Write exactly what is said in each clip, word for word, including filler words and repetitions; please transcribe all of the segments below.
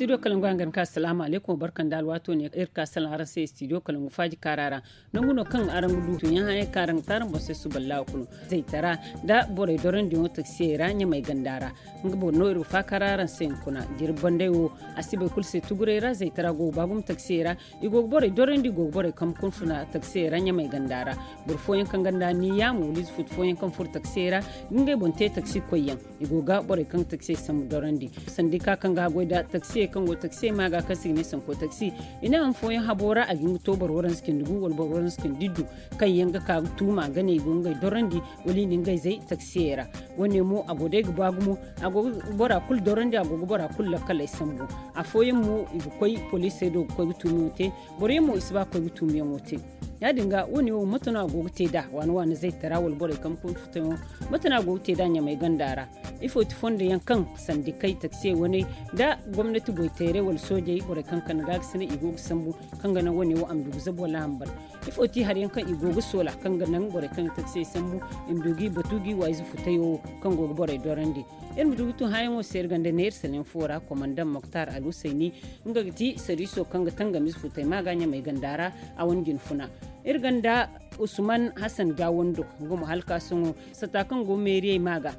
Studio kalangu hangan ka salaamu aleykum barka nda alwaato ne iri ka salaŋ araŋ se studio kalangu faaji kaara ra. Nangu no kaŋ araŋ ga du tuuyaŋ hayey kaŋ araŋ ga te araŋ boŋ se suba laawa kulu zaytara nda borey dorandiyaŋo taksiyey ra ɲamay ganda ra. Nga boŋ no iri ga faakar araŋ se hunkuna jirbi banday wo a si bay kulu se tuguray ra zaytara go ga ba gumo taksiyey ra. I go ga borey dorandi i go ga borey kambe kunfuna taksiyey ra ɲamay ganda ra. Boro fooyaŋ kaŋ ganda ni yaamo wala ize futu fooyaŋ kaŋ furo taksiyey ra ga ngey boŋ te taksi koyyaŋ. I go ga borey kaŋ ga taksiyey sambu dorandi sandika kaŋ ga goy nda taksiyey kaŋ go taksiyey ma ga kaŋ se i ga ne sanko taksi. I ne han fooyaŋ habo ra a ga hin ga to boro waranza cindi gu wala boro waranza cindi iddu kaŋ yaŋ ga ka ga tuuma ga ne i go ga ngey dorandi wala i na ngey zay taksiyey ra. Wo- ne mo a go day ga ba gumo a go ga bora kulu dorandi a go ga bora kulu lakkaley sambu. Afooyaŋ mo i ga koy poliisey do ga koy ga tuumiyaŋo te. Boro yaŋ mo i si ba ga koy ga tuumiyaŋo te. Ya- din ga wo- ne wo mate no a go ga te nd'a waana waana zaytara wala borey kaŋ ga koy ga futayaŋo? Mate no a go ga te nd'a ɲamay ganda ra? Ifo ti fondo yaŋ kaŋ sandikey taksiyey waney nda gomnati goyteerey wala soojey borey kaŋ kande ga ga sina i go ga sambu kaŋ ga naŋ wo- ne wo a ma du ga zabu wala a ma ban? Ifo ti hari yaŋ kaŋ i go ga soola kaŋ ga naŋ borey kaŋ ga taksiyey sambu i ma du ga i batu ga i wa ize futayo wo kaŋ go ga borey dorandi? Iri ma du ga tun hããyaŋo se iri ganda neera saleŋ fo ra komandaŋ moktar alhusayni. Nga ga ti sariiso kaŋ ga tangamize futay ma ga ɲamay ganda ra. A wane jinfuna iri ganda usman hasan gawando. Nga mo halkaasoŋo sata kaŋ go meeriyey ma ga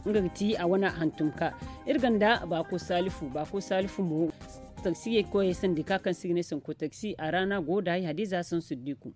nga ga ti a wane hantum ka. Iri ganda baako salifu baako salifu mo. Taksiyey koyey sandika kaŋ se i ga ne sanko taksi a ra no a go ga daahey hadiza saŋ siddiku.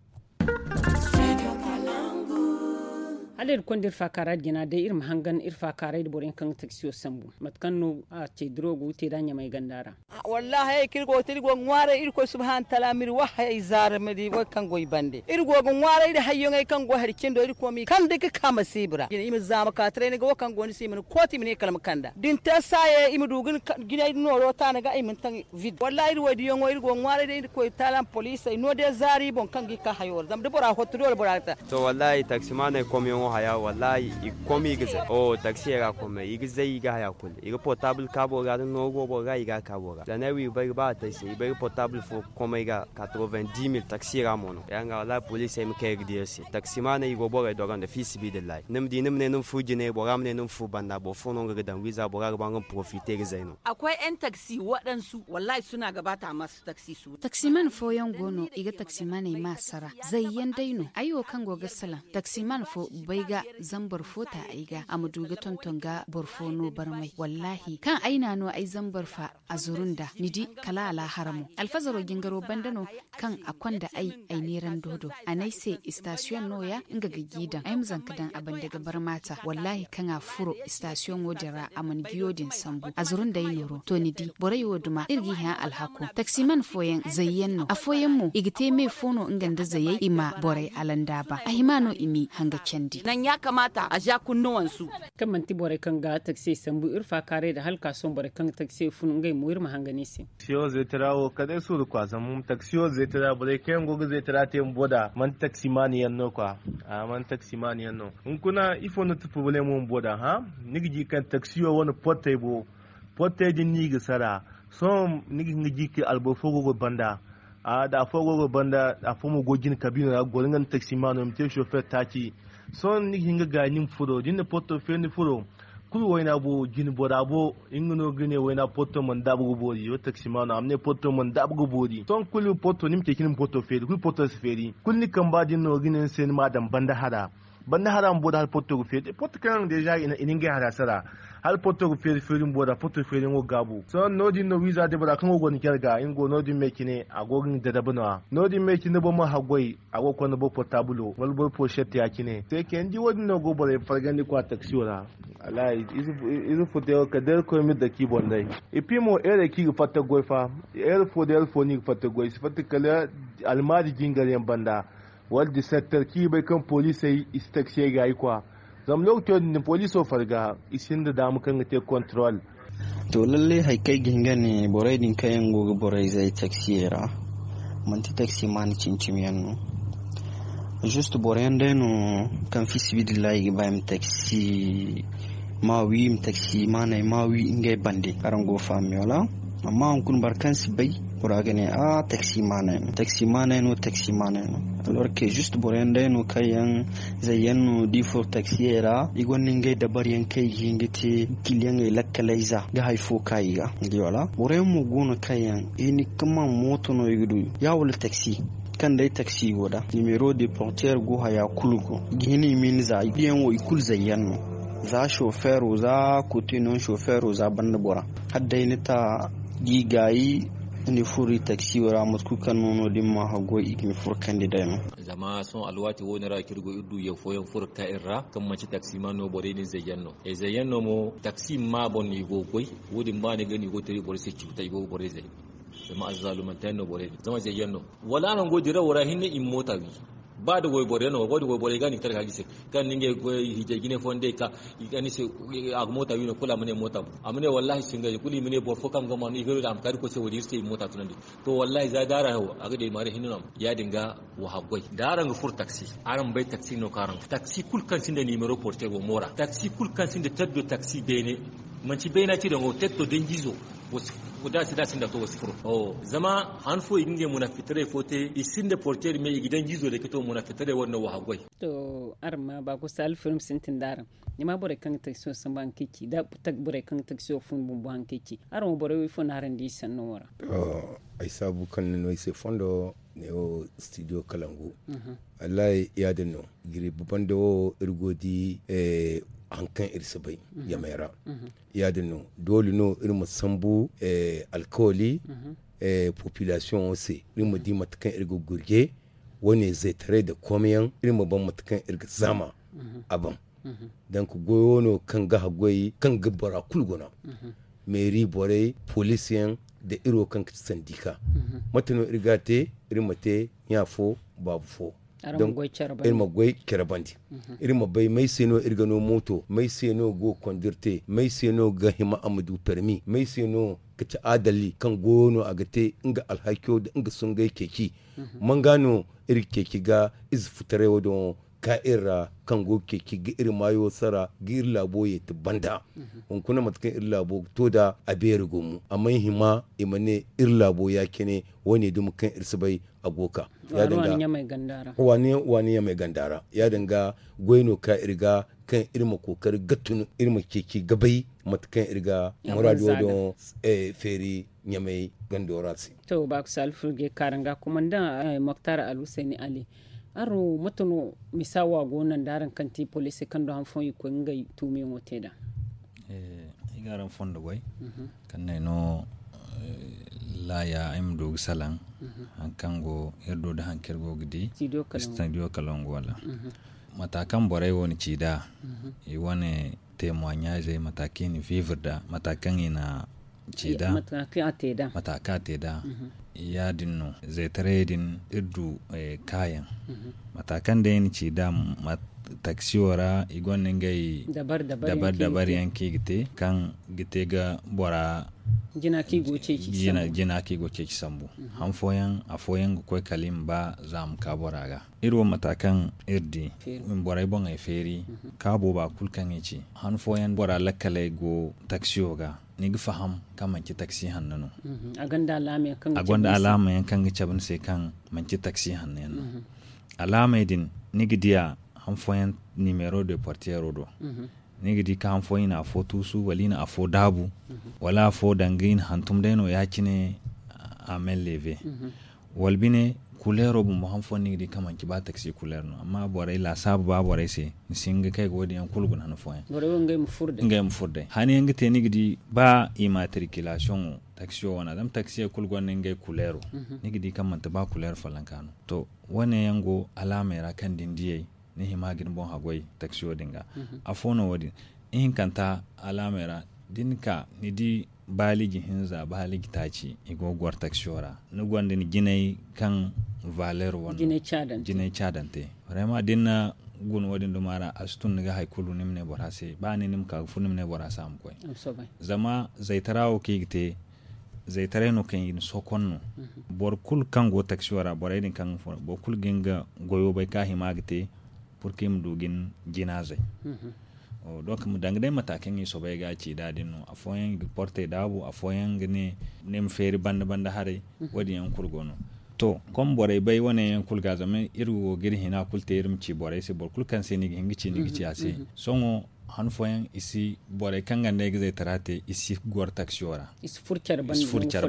Hala iri konda iri faakaara jina day iri ma hangan iri faakaaray nda boro yaŋ kaŋ ga taksiyo sambu mate kaŋ no a ce diro go ga te nd'a ɲamay ganda ra. Wallaahi ay kaŋ iri go ga te iri go ga ŋwaaray irkoy subhaana taala ma iri wahayey zaara ma di wo kaŋ go i bande iri go ga ŋwaaray nda hayyaŋey kaŋ go hari cindo iri koy ma i kande ga ka masiiba ra i ma zaama ka taray ni ga wo kaŋ go ni se i ma ni kooti i ma ne kala ma kanda da ni te saayey i ma du ga ni jinay nooro taana ga i ma ni taŋ. Vid wallaahi iri wo- din yaŋo iri go ga ŋwaaray day irkoy taala ma poliisey no day zaari boŋ kaŋ ga i ka hayo ra zama da bora hotto dole bora ga ta. To wallaahi taksimaaney komyaŋo haya wallaahi i ga kom i ga zay o taksiyey ra komey i ga zay i ga haya kulu i ga portaabul ka boro ga da nooru go boro ga i ga a ka boro ga zanay wo i bay ga ba a te ay se i bay ga portaabul fo komey ga. Quatre-vingt-dix mille taksiyey ra mo no ya- din ga wallaahi poliisey ma kay ga di iri se taksimaaney i go borey doro nda fiisabilillahi ni ma di ni ma ne ni ma furo jinay bora ma ne ni ma furo banda boro fo no nga ga daŋ wiiza bora ga ba nga ma porofite ga zay no. A koy en taksi waɗansu wallaahi suna ga ba taamas taksi su. Taksiman fooyaŋ go no i ga taksimaney ma sara zayyaŋ day no ay wo kaŋ go ga salaŋ taksiman fo bay ga zambar fo ta ay ga a ma du ga tonton ga boro fo no barmay wallaahi kaŋ ay na no ay zambar fa a zuru nda ni di kala alaahara mo alfazaro jingaro banda no. Kaŋ a konda ay ay neerando do a ne ay se istasiyoŋ nooya nga ga g'i daŋ ay ma zanka daŋ a banda ga barmata wallaahi kaŋ a furo istasiyoŋo din ra a mana giyo din sambu a zuru nda ay nooro to ni di borey wo duma iri g'i hã alhako taksiman fooyaŋ zayyaŋ no afooyaŋ mo i ga te me fo no nga nda zayey i ma borey alandaaba a hima no i m'i hanga candi. Naŋ ya kamaata a za kunnuwansu. Kaŋ manti borey kaŋ ga taksiyey sambu iri faakaaray nda hala ka sohõ borey kaŋ ga taksiyey fun ngey mo iri ma hangan i se. Taksiyo zaytara wo kala day suuru kwa zama taksiyo zaytara borey kaŋ yaŋ go ga zaytara te bumbo nd'a manti taksimaani yaŋ no kwa. A manti taksimaani yaŋ no hunkuna ifo no ti porobalemo bumbo nd'a hã? Ni ga di kaŋ taksiyo wane portey bo portey din no i ga sara. Sohõ ni ga hin ga di kaŋ alboro fo go ga banda. A da afo go ga banda afo mo go jine kabiino ra ga goro nga nda taksimaano i ma te sofeer taaci. Sohõ ni ga hin ga gaayi ni ma furo da ni na porto feeri ni furo. Kulu wayna bo jine bora bo nga no ga ne wayna porto mana daabu ga boori wala taksimaano a ma ne porto mana daabu ga boori sohõ kulu porto ni ma ceeci ni ma porto feeri kulu porto si feeri kulu ni kamba din no ga ne ni se ni ma a daŋ banda hara. Banda hara bumbo da hala porto ga feeri porto kaŋ yaŋ deeza i na ngey hara sara. Hala porto ga feeri feeri bumbo da porto feeriyaŋo ga gaabu sohõ no- din no wiiza day bora kaŋ go gonda care ga nga go no- din me cine a go ga nga dadabu no- ya no- din me cine da boro ma haggoy. A go ga konda boro portaabulo wala boro porosette ya- cine se kayna ni di wo- din no go borey fargandi kwa taksiyo ra. Wallaahi ize furteyaŋo kala day irkoy ma iri dake i boŋ day. Ippi mo heerey kaŋ i ga fatta ga goy fa. Heere fo da heere fo no i ga fatta ga goy i si fatta kala almaari jingaryaŋ banda. Wala disetter kaŋ i ga bay kaŋ poliisey i si taksiyey gaayi kwa. Zama lookaco din poliiso farga i sinda daama kaŋ ga te kontorol. To lallay hari kaŋ ay ga hin ga ne borey din kaŋ yaŋ go ga borey zay taksiyey ra. Manti taksimaani cimi cimi yaŋ no. Juste boro yaŋ day no kaŋ fiisabilillahi i ga ba i ma taksi ma wi i ma taksimaaney ma wi ngey bande araŋ go ga faham me wala? Amma hunkuna boro kaŋ si bay. Bora ga ne a taxi maanay no, taxi maanay no, taxi maanay no. Alors que juste boro yaŋ day no kaŋ yaŋ zay yaŋ no da i furo taxiyey ra, i gonda ngey dabari yaŋ kaŋ i ga hin ga te kiliyaŋey lakkaley za ga hari fo ka i ga. Boro yaŋ mo go no kaŋ yaŋ i ni kaman mooto no i ga du ya wala taxi, kaŋ day taxi go da nimero de porter go haya kulu go, i ga hin i ma ni za i diyaŋo i kulu zay yaŋ no. Za chauffeur za kote no chauffeur za banda bora, hala day ni ta gi gaayi. Ni furo i taxi wo ra mate kulu kaŋ no no da ni ma haggoy i ga ni furo kande day no. Zama sohõ alwaati wo- ne ra kaŋ iri go iri du yaŋ fooyaŋ furo ga ka iri ra kaŋ manti taxi maanay no borey din zayyaŋ no. Zayyaŋ no mo taxi ma boŋ no i go ga goy. Wo- din ba ni ga no i go ga te iri borey se cuuta i go ga borey zay. Zama azzaalumanteyaŋ no borey din zama zayyaŋ no. Wala araŋ go dirawo ra hinne i ma moota wi. Ba da wayboro yaŋ no wayboro yaŋ ga no i ga tara ga ga i se. Kaŋ ni ngey goy hijay jine fooyaŋ day ka i ga ni se a ga moota wi no kulu a ma ne moota bu a ma ne wallaahi singa kulu i ma ne boro fo kaŋ ga ma no i ga no da a ma ka da koy se wo- din iri se i ma moota tunandi. To wallaahi za da araŋ wo a ga day maari hinne no a ma ya- din ga. Wa haggoy da araŋ ga furo taksi araŋ ma bay taksi no kaŋ araŋ ga furo taksi kulu kaŋ sinda nimero porter wo moora taksi kulu kaŋ sinda taddo taksi beene. Manti bayna ci daŋo tetto danjizo. Da a si da a sinda to wa si furo. Zama han fo i ga ngey munafitarey fo te i sinda porter me i ga danjizo day ka to munafitarey wadin no wa haggoy. To araŋ ma ba kusa alfirim sintin da araŋ. Ni ma borey kaŋ ga taksiyo sambu haŋ kaŋ i ci da borey kaŋ ga taksiyo fun bumbo haŋ kaŋ i ci. Araŋ wo borey wo ifo no araŋ di i sanno wo ra? Ay saabu kaŋ ni no ay se fondo ne wo studio kalangu. Wallahi ya- din no. Giriba banda wo iri go ga di haŋ kaŋ iri si bay yamey ra. Ya- din no doole no iri ma sambu alkawali populasiyoŋo se iri ma di mate kaŋ iri ga gurje. Wo- ne zaytaray nda komiyaŋ iri ma ban mate kaŋ iri ga zaama a ban. Donk goyo no kaŋ ga haggoy kaŋ ga bora kulu guna. Meeri borey poliisiyaŋ nda iri wo kaŋ ga ti sandika. Mate no iri ga a te? Iri ma te ɲa fo baabu fo. Iri ma goy care bandi. Iri ma bay may se no iri ga no mooto may se no go ga kondir te may se no ga hima a ma du permi may se no ga ci adali kaŋ goyo no a ga te nga alhakiyo nda nga sungay ceeci. Manga no iri ga ceeci ga ize futaray wo- din wo ka iri ra kaŋ go ga ceeci ga iri maayo sara ga iri laabo yeeti banda. Hunkuna mate kaŋ iri laabo ga to nd'a a beeri gumo a mana hima i ma ne iri laabo ya- cine. Wo- ne dumi kaŋ iri si bay a go ga ka. Waani ɲamay ganda ra ya- din ga goy no ka iri ga kaŋ iri ma kookari ga tun iri ma ceeci ga bay mate kaŋ iri ga muraado din feeri ɲamay gando ra se. To ba kusa alfurge kaaranga kumandaŋ moktar alhuseeni ali. Araŋ wo mate no misa wo a go no nda araŋ kaŋ ti poliisey kaŋ du han fooyaŋ i koy ngey tuumiyaŋo te nd'a? Ay ga araŋ fondo goy kaŋ no ay no laaya ay ma du ga salaŋ. Hari kaŋ go iri do nda hari kaŋ iri go ga di studio kalangu wala mata kaŋ borey wo na ci nd'a i wane temoignagey mata kaŋ i na viivre nd'a mata kaŋ i na ci nd'a mata kaŋ a te nd'a ya- din no zaytarayey din iri du kaayaŋ. Mata kaŋ day i na ci nd'a taksiyo ra i gonda ngey dabar dabar yaŋ kaŋ i ga te kaŋ ga te ga bora jina kaŋ i go ceeci sambu. Han fooyaŋ afooyaŋ ga koy kala i ma ba za a ma ka bora ga. Iri wo mata kaŋ iri di borey boŋey feeri ka booba kulu kaŋ i ci han fooyaŋ bora lakkaley go taksiyo ga ni ga faham kaŋ manci taksi hanno no. A gonda alaamayaŋ kaŋ ga cabe ni se kaŋ manci taksi hanno yaŋ no. Alaamey din ni ga diya han fooyaŋ nimero de portiyero do. Ni ga di kaŋ han fooyaŋ i na afo tuusu wala i na afo daabu wala afo danga i na hantum day no ya- cine. A men leeve wala bine kuleero bumbo han fooyaŋ ni ga di kaŋ manci ba taksi kuleer no amma borey laasaabu ba borey se ni si hin ga kay ga wo- din yaŋ kulu guna han fooyaŋ. Ngey ma furo day han yaŋ ga te ni ga di ba immatriculation wo taksiyo wane zama taksiyey kulu gonda ngey kuleero. Ni ga di kaŋ manti ba kuleer follonka no to wo- ne yaŋ go alaamey ra kaŋ da ni diyey ni hima ga ni boŋ haggoy taksiyo din ga. Afo no wo- din ihinkanta alaamey ra da ni ka ni di baaliji hinza baaliji taaci i go ga goro taksiyo ra ni gonda ni jinay kaŋ valeer wane jinay caadante. Vraiment da ni na guna wo- din duma ra a si tun ni ga hari kulu ni ma ne bora se ba ni ni ma ka ga furo ni ma ne bora se a ma koy. Zama zaytara wo kaŋ i ga te zaytaray no kaŋ i na sokon no. Boro kulu kaŋ go taksiyo ra borey din kaŋ ga furo boro kulu ga nga goyo bay kaŋ a hima ga te purka i ma du ga ni jina zay. Donc ma danga day mata kaŋ i soobay ga ci nd'a din no, afooyaŋ i ga portey daabu, afooyaŋ ga ne ni ma feeri banda banda haray. Wo- din yaŋ kulu go no. To, comme borey bay wane yaŋ kulu ga zama iri wo ga iri hina kulu te iri ma ci borey se, boro kulu kaŋ se ni ga hin ga ci ni ga ci a se. Sohõ han fooyaŋ i si, borey kaŋ ga nda ay ga zaytara te i si goro taksiyo ra. I si furo care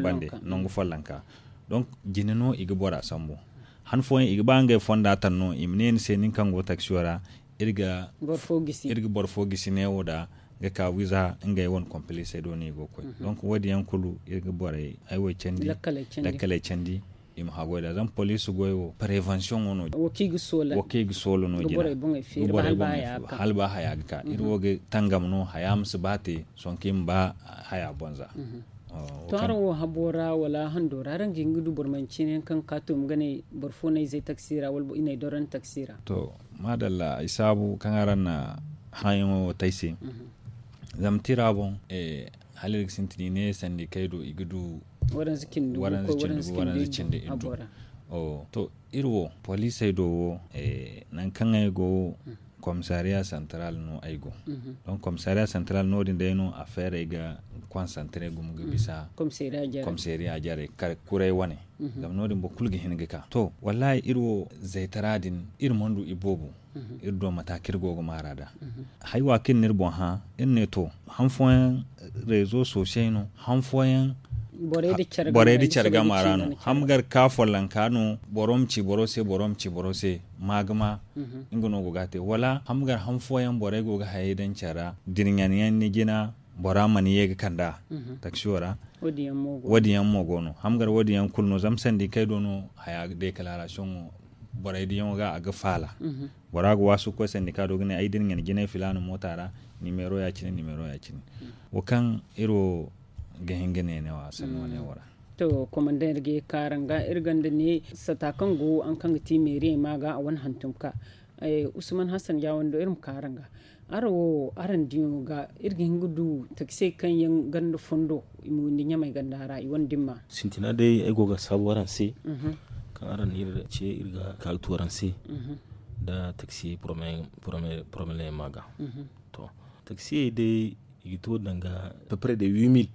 bande nangu follonka. Donc jine no i ga bora sambu. Han fooyaŋ i ga ba ngey fonda taŋ no i ma ne ni se nin kaŋ go taksiyo ra, iri ga boro fo gisi neewo da ga ka wiza ngey wane kompilisey do no i go ga koy. Donc wo- din yaŋ kulu iri ga borey ay wo candi, lakkaley candi, i ma haggoy nd'a zama poliisi goy wo parevansiyoŋo no. Wo kaŋ i ga soola no jina ga borey boŋey feeri ba hala ba haya ga ka iri wo ga tangam no haya ma si ba te. Sonki ma ba haya bonza. To araŋ wo habo ra wala hando ra araŋ ga hin ga du boro manci ne kaŋ ga ka to ma ga ne boro fo no ay zay taksi ra wala i no ay doro ni taksi ra? To, maadalla ay saabu kaŋ araŋ na hãyaŋo wo te ay se. Zama tira boŋ hala iri ga sintin i ne sandikey do i ga du waranza cindi gu waranza cindi iddu. To, iri wo poliisey do wo nangu kaŋ ay go komisariya santaral no ay go. Donc komisariya santaral no- din day no a feerey ga konsantare gumo ga bisa komisariya jarey kuray wane. Zama no- din boro kulu ga hin ga ka to wallahi iri wo zaytara din iri mana du iboobo. Iri do mata kaŋ iri go ga maara nd'a haywa kaŋ iri na iri boŋ hã iri ne to han fooyaŋ reezo soosey no han fooyaŋ borey nda care gama ra no. Hamgar ka follonka no boro ma ci boro se boro ma ci boro se. Ma ga ma nga no go ga a te wala hamgar han fooyaŋ borey go ga hayey daŋ care ra dirɲanyaŋ ni jina bora mana ye ga kand'a taksiyo ra. Wo- din yaŋ mo go no hamgar wo- din yaŋ kulu no zama sandikey do no haya deekalaarasiyoŋo borey diyaŋo ga a ga faala. Bora ga waasu ga koy sandika do ga ne ay da ni ɲana jinay filaana moota ra. Nimeero ya- cine nimeero ya- cine wo kaŋ iri wo ga hin ga ne ne wo a sanni wane wo ra. To komandaŋ iri ga ye ga ka araŋ ga iri gonda ne sata kaŋ go haŋ kaŋ ga ti meeriyey ma ga a wane hantum ka usman hassan jaawando iri ma ka araŋ ga. Araŋ wo araŋ diyaŋo ga iri ga hin ga du taksey kaŋ yaŋ ganda fondo i ma windi ɲamey ganda ra i wane dimma. Sintina day ay go ga saabu araŋ se kaŋ araŋ na iri ce iri ga ka ga tu araŋ se nda taksi porobleem ma ga. To taksiyey day i ga to danga peu près de huit mille.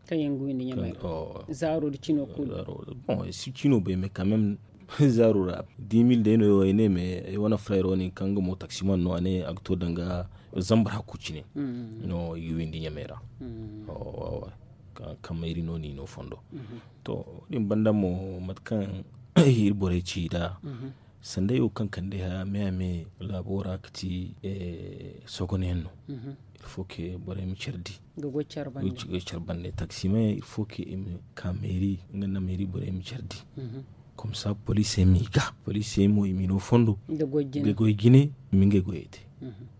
Kaŋ yaŋ ga windi ɲamey ra zaaro da cino kulu. Bon si cino bay mais quand même zaaro ra dix mille day no ay ne mais ay wane frère wane kaŋ ga mo taksiman no a ne a ga to danga zambar hakku cine no i ga windi ɲamey ra. Ka mayri no ni no fondo. To din banda mo mate kaŋ iri borey ci da sanday wo kaŋ kande haya me a me laabo ra ga ti sogoneyaŋ no. Il faut que borey ma care di ga goy care bande taksimayaŋ il faut que i ma ka meeri nga nda meeri borey ma care di. Comme ça poliisey m'i ga poliisey mo i m'i no fondo ga goy jine i ma ngey goyey te.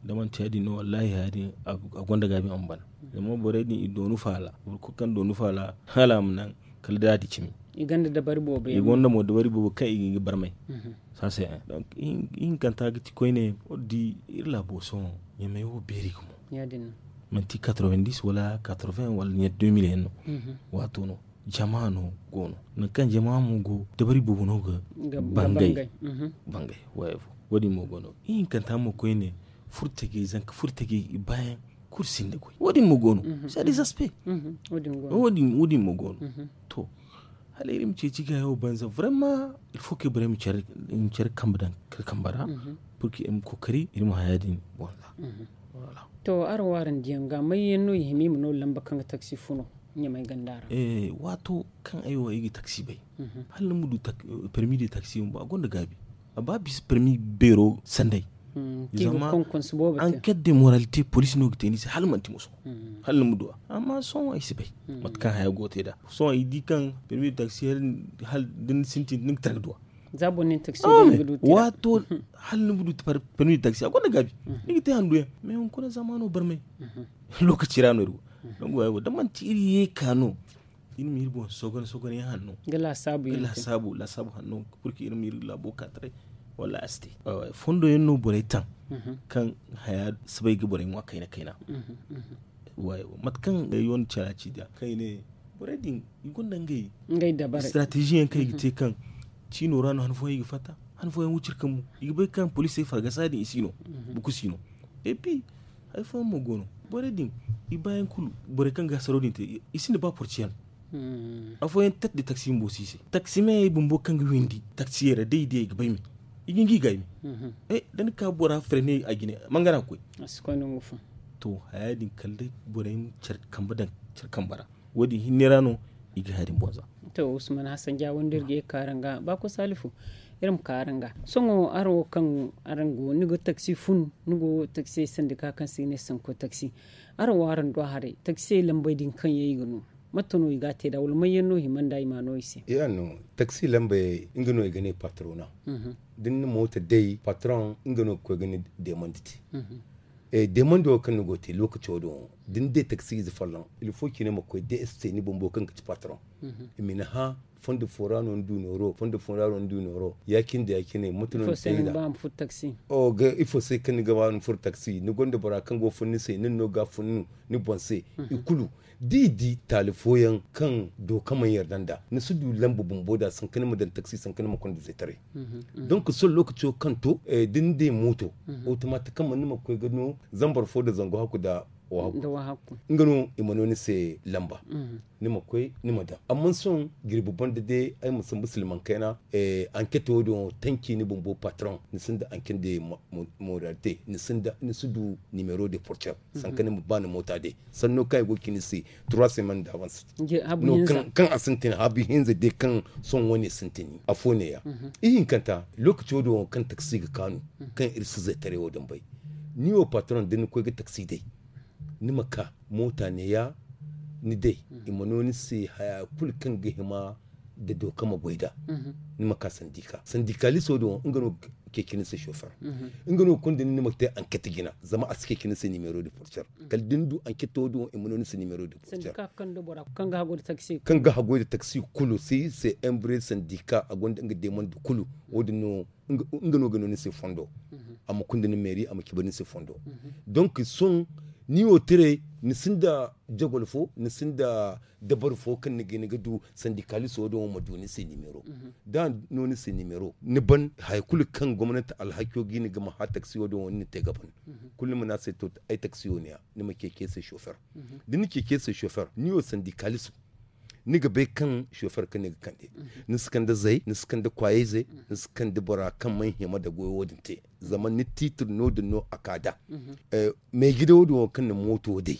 Da manti ya- din no wallahi haya din a gonda gaabi a ma ban. Zama borey din i doonu faala boro kulu kaŋ doonu faala hala a ma naŋ kala da a di cimi. I gonda dabari boobo kaŋ i ga barmay. Saase donc ihinkanta ga ti koyne wo- din di iri laabo sohõ ɲamey wo beeri gumo. Manti quatre-vingt-dix wala quatre-vingts wala ɲa deux mille yaŋ no. Waato no jama no go no nangu kaŋ jama mo go dabari boobo no ga bangay. Bangay wo- din mo go no ihinkanta mo koyne furtajey zanka furtajey i baayaŋ kulu sinda goy wo- din mo go no. C'est des aspects wo- din mo go no. To hala iri ma ceeci ga yawo banza vraiment il faut que borey ma care kambe daŋ kamba ra. Pour que iri ma kookari iri ma haya din bonza. To araŋ wo araŋ diyaŋ ga may yaŋ no i hima i ma no lamba kaŋ ga taksi funo ɲamay ganda ra? Waato kaŋ ay wo ay ga taksi bay hala ni ma du permis de taksi bumbo a gonda gaabi. A ba bisa permis beero sanday. Zama enquête de moralité police no ga te ni se hala manti muso hala ni ma du a amma sohõ ay si bay mate kaŋ haya go te da sohõ ay di kaŋ permis de taksi hala da ni sintin ni ga tara ga du a. Za boro nin taksi ga du tira waato hala ni ma du permis de taksi a gonda gaabi ni ga te handu yaŋ mais hunkuna zamano barmay. Lokaci ra no iri go. Dongo ay wo da manti iri ye ka no iri ma iri boŋ sogon sogon yaŋ hanno ga lasaabu yaŋ te lasaabu lasaabu hanno. Pour que iri ma iri laabo ka taray wala a si te fondo yaŋ no borey taŋ kaŋ haya si bay ga borey ŋwa kayna kayna. Mate kaŋ ay wane cala ci da kaŋ i ne borey din i gonda ngey stratégie yaŋ kaŋ i ga te kaŋ ciino ra no han fooyaŋ i ga fatta han fooyaŋ wucir kambu i ga bay kaŋ poliisey fargasa din i si no. Buku si no et puis Hari fooyaŋ mo go no, borey din, i baayaŋ kulu, borey kaŋ ga hasaro din te, i sinda ba porciyaŋ. Afooyaŋ tet de taksi bumbo si i se, taksi meeyey bumbo kaŋ ga windi taksiyey ra, day day ga bay me, i ga hin ga i gaay me. Da ni ka bora fere ne a jine, mangana ga koy. To, haya din kala day borey ma care kambe daŋ care kambe ra. Wo- din hinne ra no i ga haya din boŋ za. To, usman hasan ja wanda iri ga ye ga ka araŋ ga ba ko salifu, iri ma ka araŋ ga. Sohõ araŋ wo kaŋ araŋ go ni go taksi fun, ni go taksi sandika kaŋ se i ga ne sanko taksi. Araŋ wo araŋ du a haray taksi lambey din kaŋ yaŋ i ga no, mate no i ga a te nd'a wala may yaŋ no hima nd'a i ma a no i se? Taksi lambey nga no i ga ne patrona. Da ni na mooto day patron nga no ga koy ga ni deemandi te. Deemando wo kaŋ ni go ga te lookaco din wo, da ni day taksi ize folloŋ, ilfo cine ma koy de este ni bumbo kaŋ ga ci patron. I ma ni hã, fondo fo ra no ni du nooro fondo fo ra no ni du nooro ya- cine da ya- cine mate no ni te da. Ifo se kaŋ ni ga ba ni furo taksi ni gonda bora kaŋ go ga fun ni se nin no ga fun ni boŋ se. I kulu da i di taali fooyaŋ kaŋ dooka mana yarda nd'a, ni si du lamba bumbo nd'a sanka ni ma daŋ taksi sanka ni ma konda zeetaray. Donk sohõ lookaco kaŋ to, da ni day mooto, otomaatikaman ni ma koy ga no zambar fo nda zangu hakku nda wahakku. Nga no i ma no ni se lamba. Ni ma koy ni ma daŋ amma sohõ jirbi banda day ay ma sambu silmaŋ kayna. Anket wo- din wo tanki ni bumbo patron ni sinda anket de moralite ni sinda ni si du nimero de porter. Sanka ni ma ba ni moota day sanno kaŋ ay go ga ci ni se trois semaines d'avance. Kaŋ a sintin haabu hinza day kaŋ sohõ wane sintin afo neeya. Ihinkanta lookaci wo- din wo kaŋ taksi ga kaanu kaŋ iri si zeetaray wo- din bay. Ni wo patron da ni koy ga taksi day ni ma ka moota neeya ni day i ma no ni se haya kulu kaŋ ga hima da dooka ma goy nd'a. Ni ma ka sandika sandikaliso din wo nga no ga ceeci ni se sofer. Nga no ga konda ni ni ma te anket jina zama a si ceeci ni se nimero de porter. Kala da ni du anketo din wo i ma no ni se nimero de porter. Kaŋ ga haggoy nda taksi kulu se iri se embre sandika a gonda nga deemandi kulu. Wo- din no nga no ga no ni se fondo. A ma kunda ni meeri a ma cabe ni se fondo. Donk sohõ ni wo tire ni sinda jagol fo ni sinda dabari fo kaŋ ni ga hin ga du sandikaliso din wo ma du ni se nimero. Da a no ni se nimero ni ban haya kulu kaŋ gomnanti alhakiyo ga hin ga ma hã taksi wo- din wo ni na te ga ban. Kulu ni ma ne a se to ay taksi wo neeya ni ma ceeci ay se sofer. Da ni ceeci ay se sofer ni wo sandikaliso ni ga bay kaŋ sofer kaŋ ni ga kande. Ni si kande zay ni si kande kwaayayze ni si kande bora kaŋ mana hima nda goyo wo- din te. Zama ni tiitir no- din no a ka nd'a. Meeji day wo- din wo kaŋ na mooto day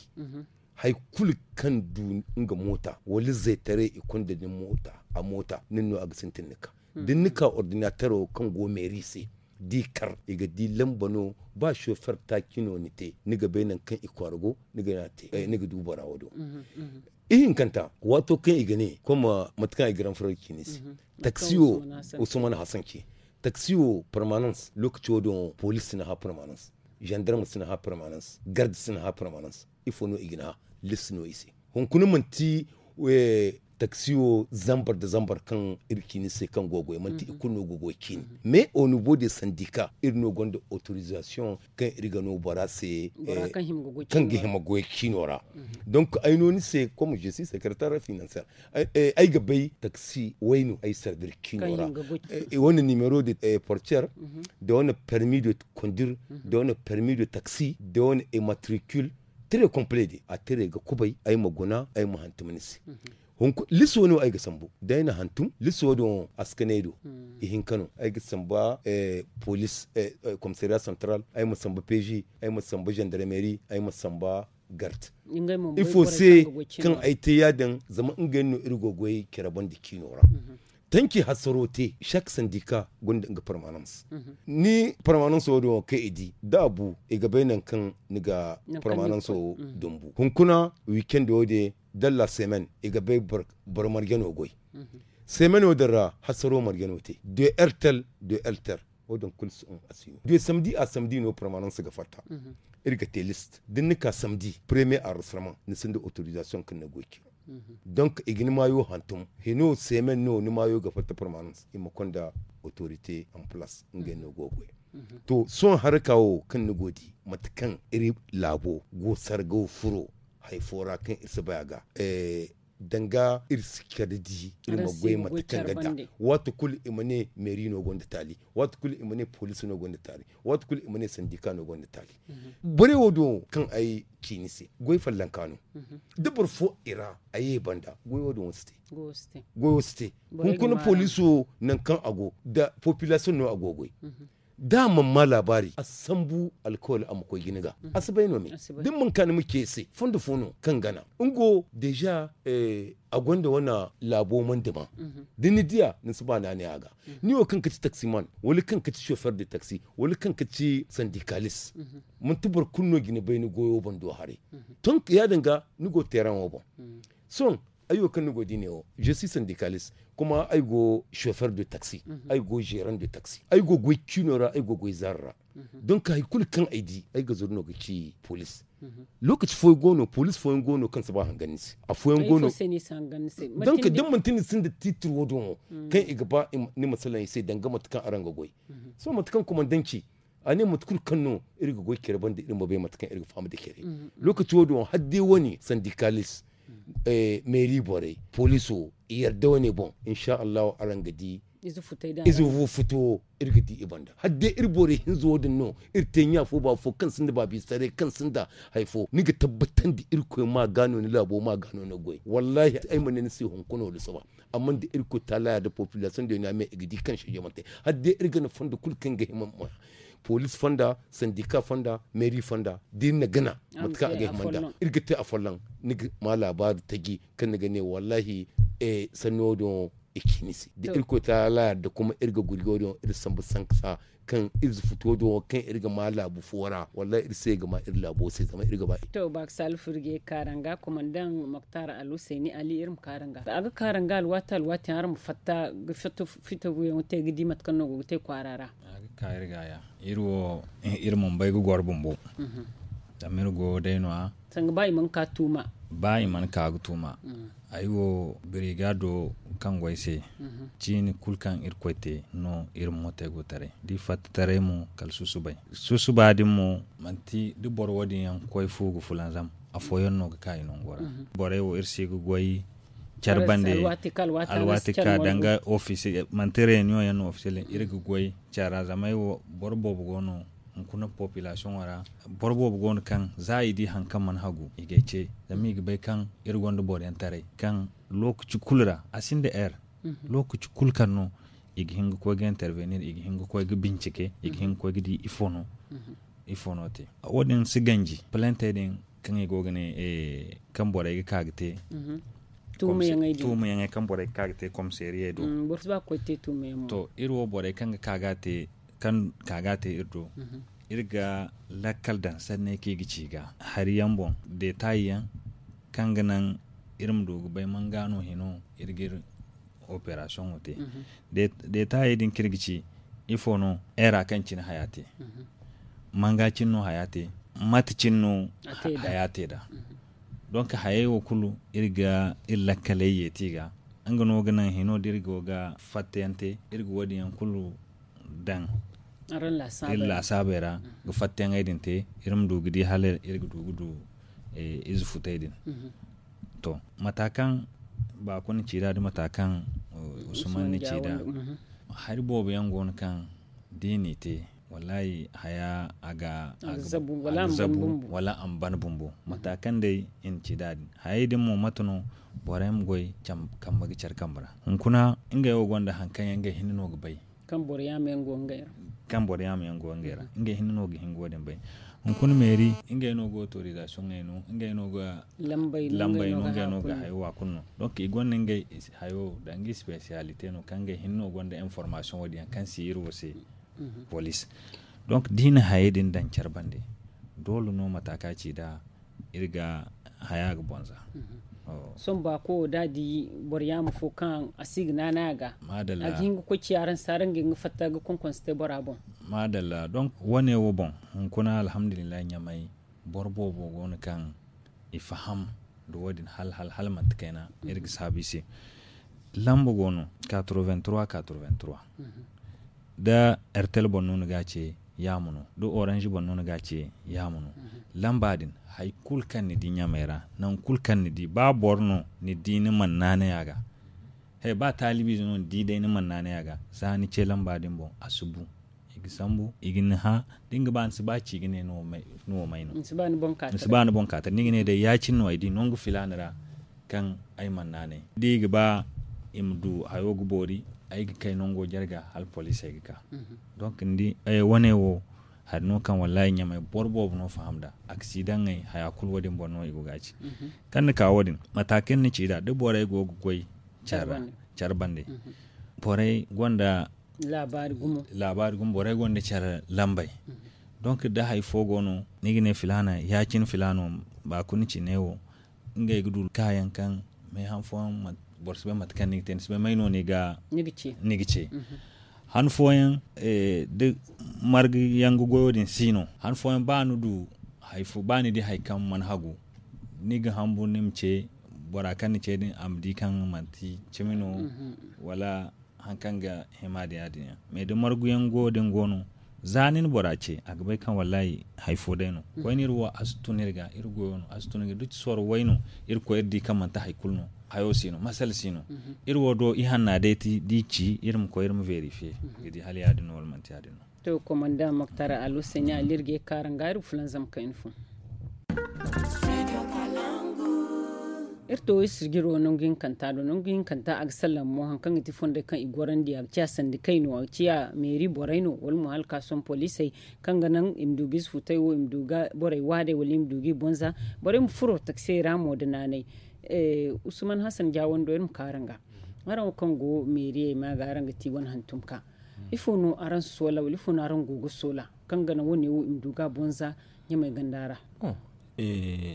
hari kulu kaŋ du nga moota wala zeetaray i konda ni moota a moota nin no a ga sintin ni ka. Da ni na ka ordinatero kaŋ go meeri se da i kar i ga di lamba no. Ba sofer taaci no ni te ni ga bay nangu kaŋ i kwaara go ni ga ne a te ni ga du bora wo- din wo. Ihinkanta waato kaŋ i ga ne kom mate kaŋ ay ga ran furo ga ci ni se. Taksi wo usman hasan ce. Taksi wo permanence lookaci wo- din wo police si ni hã permanence. Zandarm si ni hã permanence garde si ni hã permanence. Ifo no i ga ni hã? List no i se. Hunkuna manti taksi wo zambar nda zambar kaŋ iri ga ci ni se kaŋ go ga goy manti i kulu no ga goy ga ci ni. Mais au niveau de sandika iri no gonda autorisation kaŋ iri ga no bora se. Kaŋ ga hima goy ga ci no ra. Donc ay no ni se comme je suis secrétaire financier ay ga bay taksi way no ay sardir ga ci no ra. Wane nimero de portier, da wane permis de conduire, da wane permis de taxi, da wane immatricule. Très complet de a tire ga kubay ay ma guna ay ma hantum ni se. Liso no ay ga sambu da ay na hantum liso din a si kanay do. Ihinka no ay ga samba police, commissariat central, ay ma samba peji, ay ma samba gendarmerie, ay ma samba garde. Ifo se kaŋ ay te ya- din zama ngey no iri go goy care banda ciino ra. Tanki hasaro te chaque sandika gonda nga permanence. Ni permanence wo din wo kaŋ i di da a bu i ga bay nangu kaŋ ni ga permanence wo dumbu hunkuna weekend wo din dalla semaine i ga bay boro marjano goy. Semaine wo din ra hasaro marjano te de ertel de ertel. Wo din kulu si un a si no de samedi a samedi no permanence ga fatta. Iri ga te liste da ni na ka samedi premier enregistrement ni sinda autorisation kaŋ ni goy ciro. Donc i ga ni maayo hantum hino semaine no ni maayo ga fatta permanence i ma konda autorité en place ngey no go goy. To sohõ haraka wo kaŋ ni go di mate kaŋ iri laabo go sarga wo furo hari fo ra kaŋ iri si bay a ga. Danga iri si kala di iri ma goy mate kaŋ ga da. Waati kulu i ma ne meeri no gonda taali. Waati kulu i ma ne poliisi no gonda taali. Waati kulu i ma ne sandika no gonda taali. Borey wo din wo kaŋ ay ci ni se goy fallanka no. Da boro fo i ra a ye banda goy wo din wo si te. Goyo si te. Hunkuna poliiso nangu kaŋ a go da popilasiyoŋ no a go goy. Da a mana ma laabaari a si sambu alkawali a ma koy jina ga. A si bay no me da ni mana ka ni ma ce se fondo fo no kaŋ gana nga wo deeza. A gonda wane laabo mana dima da ni diya ni si ba naanay a ga. Ni wo kaŋ ga ti taksiman wala kaŋ ga ti sofer de taksi wala kaŋ ga ti sandikalis. Manti boro kulu no ga ni bay ni goyo bando haray. Tonk ya- din ga ni go teeraŋo boŋ. Sohõ ay wo kaŋ ni go di ne wo je si sandikalis kuma ay go sofer de taksi. Ay go zeeran de taksi ay go goy ciino ra ay go goy zaari ra. Donk hari kulu kaŋ ay di ay ga zuru no ga ci poliisi. Lookaci fooyaŋ go no poliisi fooyaŋ go no kaŋ si ba hangan ni se. Afooyaŋ go no. Donk da ni manti ni sinda tiitir wo- din wo kaŋ i ga ba ni ma salaŋ i se danga mate kaŋ araŋ ga goy. Sohõ mate kaŋ kumandanci a ne mate kulu kaŋ no iri ga goy care banda iri ma bay mate kaŋ iri ga faham da care. Lookaci wo- din wo hala day wane sandikalis meeri borey poliiso i yarda wane boŋ. Insa allahu araŋ ga di ize fo futo wo iri ga di i banda hala day iri borey hinza wo- din no iri te ɲa fo ba fo kaŋ sinda baabi saray kaŋ sinda hari fo ni ga tabbatandi irkoy ma ga no ni laabo ma ga no ni goy wallahi ay ma ne ni se hunkuna wala sohõ. Amma da irkoy taala ya da popilasiyoŋ da yaŋ a me i ga di kaŋ seeje mana te hala day iri ga na fondo kulu kaŋ ga hima ma poliisi fonda sandika fonda meeri fonda da iri na gana mate kaŋ a ga hima nd'a iri ga te afolloŋ. Ni ga ma laabaari taji kaŋ ni ga ne wallahi sanni wo- din wo i ci ni se da irkoy taala ya da kuma iri ga gurjo din wo iri sambu sankasa kaŋ iri futo din wo kaŋ iri ga ma laabu fo ra wallahi iri se ga ma iri laabo se zama iri ga ba iri. To baaka saalfur ga ye kaaranga komandaŋ moktar alhuseeni ali iri ma kaaranga a ga kaaranga alwaati alwaati yaŋ araŋ ma fatta ga fito fito buyaŋo te ga di mate kaŋ no go ga te kwaara ra. A ga ka iri ga ya iri wo iri mana bay ga goro bumbo. Zama iri go day no- ya sanga ba i mana ka tuuma. Ba i mana ka ga tuuma. Ay wo birigaado kaŋ go ay se ciini kulu kaŋ irkoy te no iri ma mootey go taray da i fatta taray mo kala susubay. Susuba din mo manti da boro wo- din yaŋ koy fu ga fulanzam afooyaŋ no ga ka i nango ra. Borey wo iri si ga goy care bande alwaati ka danga ofisiye manti reyuniyoŋ yaŋ no ofisiye din iri ga goy care ra zama ay wo boro boobo go no hunkuna popilasiyoŋo ra. Boro boobo go no kaŋ za i di hari kaŋ mana hagu i ga ay ce zama i ga bay kaŋ iri gonda boro yaŋ taray kaŋ lookaci kulu ra a sinda heure lookaci kulu kaŋ no i ga hin ga koy ga intervenir i ga hin ga koy ga bincike i ga hin ga koy ga di ifo no ifo no te. Wo- din si ganji palantey din kaŋ i go ga ne kaŋ borey ga ka ga te tuumayaŋey kaŋ borey ga ka ga te komiseeriyey do. To iri wo borey kaŋ ga ka ga te kaŋ ka ga te iri do iri ga lakkal daŋ sanney kaŋ i ga ci ga hari yaŋ boŋ detaayi yaŋ kaŋ ga naŋ iri ma du ga bay manga no hino iri ga iri operasiyoŋo te. Detaayi din kaŋ iri ga ci ifo no era kaŋ cine haya te manga cine no haya te mate cine no haya te nd'a. Donk hayey wo kulu iri ga iri lakkaley yeeti ga nga no ga naŋ hino da iri go ga fattayaŋ te iri ga wo- din yaŋ kulu daŋ iri laasaabey ra ga fattayaŋey din te iri ma du ga di hala iri ga du ga du ize futey din. To mata kaŋ baako na ci nd'a da mata kaŋ usman na ci nd'a hari boobo yaŋ go no kaŋ da i n'i te wallahi haya a ga zabu wala a ma ban bumbo mata kaŋ day i na ci nd'a din hayey din mo mate no borey ma goy kambe ga care kambe ra hunkuna ngey wo gonda hari kaŋ yaŋ ngey hinne no ga bay kaŋ boro yaama yaŋ go ngey ra ngey hinne no ga hin ga wo- din bay hunkuna meeri ngey no ga otorizasiyoŋey no ngey no ga lambey no ngey no ga hayo wa kulu no donk i gonda ngey hayo danga isipesiyalite no kaŋ ngey hinne no gonda informasiyoŋ wo- din yaŋ kaŋ si iri wo se poliisi donk da i na hayey din daŋ care bande doole no mata kaŋ a ci nd'a iri ga haya ga bonza. Sohõ baako wo da a di boro yaama fo kaŋ a si ga naanay a ga a ga hin ga koy ci araŋ se araŋ ga hin ga fatta ga konkonse te bora boŋ. Maadalla donk wane wo boŋ hunkuna alhamdulillahi ɲamay boro boobo go no kaŋ i faham nda wo- din hala hala hala manti kayna iri ga saabu i se. Lamba go no quatre-vingt-trois quatre-vingt-trois da ertel boŋ no ni ga a ce yaama no da orange boŋ no ni ga a ce yaama no. lamba din, hari kulu kaŋ ni di ɲamey ra, nangu kulu kaŋ ni di ba boro no ni di ni mana naanay a ga. He ba taalibiize no ni di day ni mana naanay a ga, za ni ce lamba din boŋ, a si bu. I ga sambu, i ga ni hã. Da ni ga ba ni si ba ci ga ne ni wo may no. Ni si ba ni boŋ kaata da ni ga ne day ya- cine no ay di nangu filaana ra, kaŋ ay mana naanay da i ga ba i ma du hayo ga boori. Ay ga kay nango jarga hala poliisey ga ka. Donk ni di, wane wo hari no kaŋ wallaahi ɲamey boro boobo no faham nd'a. Aksidaŋey haya kulu wo- din boŋ no i go ga a ci. Kaŋ ni ka wo- din, mate kaŋ ni ci nd'a da borey go ga goy care bande, borey gonda laabaari gumo, borey gonda care lambey. Donk da hari fo go no ni ga ne filaana ya- cine filaano, ba kulu ni ci ne wo. Ngey ga du kaayaŋ kaŋ meehan fooyaŋ, boro si bay mate kaŋ ni ga te ni si bay may no ni ga ce. Han fooyaŋ, da marga yaŋ ga goyo din si no, han fooyaŋ ba ni du hari fo ba ni di hari kaŋ mana hagu, ni ga hanbur ni ma ce bora kaŋ ni ce din a ma di kaŋ manti cimi no, wala hari kaŋ ga hima din ya- din yaŋ. Mais da margu yaŋ go din go no, za ni na bora ce a ga bay kaŋ wallaahi hari fo day no. Koyne iri wo a si tun iri ga, iri goyo no a si tun iri ga da ci sooro way no. Iri koy iri di kaŋ manti hari kulu no. Hayo si no, masala si no. Iri wo do ihanna day ti da i ci iri ma koy iri ma verifiye, ga di hala ya- din no wala manti ya- din no. To komanda moktar alu sanya ali iri ga ye kaara nga iri ga fulanzam kayna fo. Iri to iri sirjiro nangu hinkanta do nangu hinkanta a ga sallam mo hari kaŋ ga ti fonday kaŋ i gorandi a ga ciya sandikey no a ga ciya meeri borey no wala mo hala ka sohõ poliisey, kaŋ ga naŋ i ma du ga ize futay wo i ma du ga borey waadey wala i ma du ga i bonza. Borey ma furo taksey ra mo nda naanay. Usman hasan jaawando iri ma kaara nga. Araŋ wo kaŋ go meeriyey ma ga araŋ ga ti wane hantum ka, ifo no araŋ soola wala ifo no araŋ go ga soola kaŋ ga naŋ wane wo i ma du ga a bonza? Ɲamey ganda ra.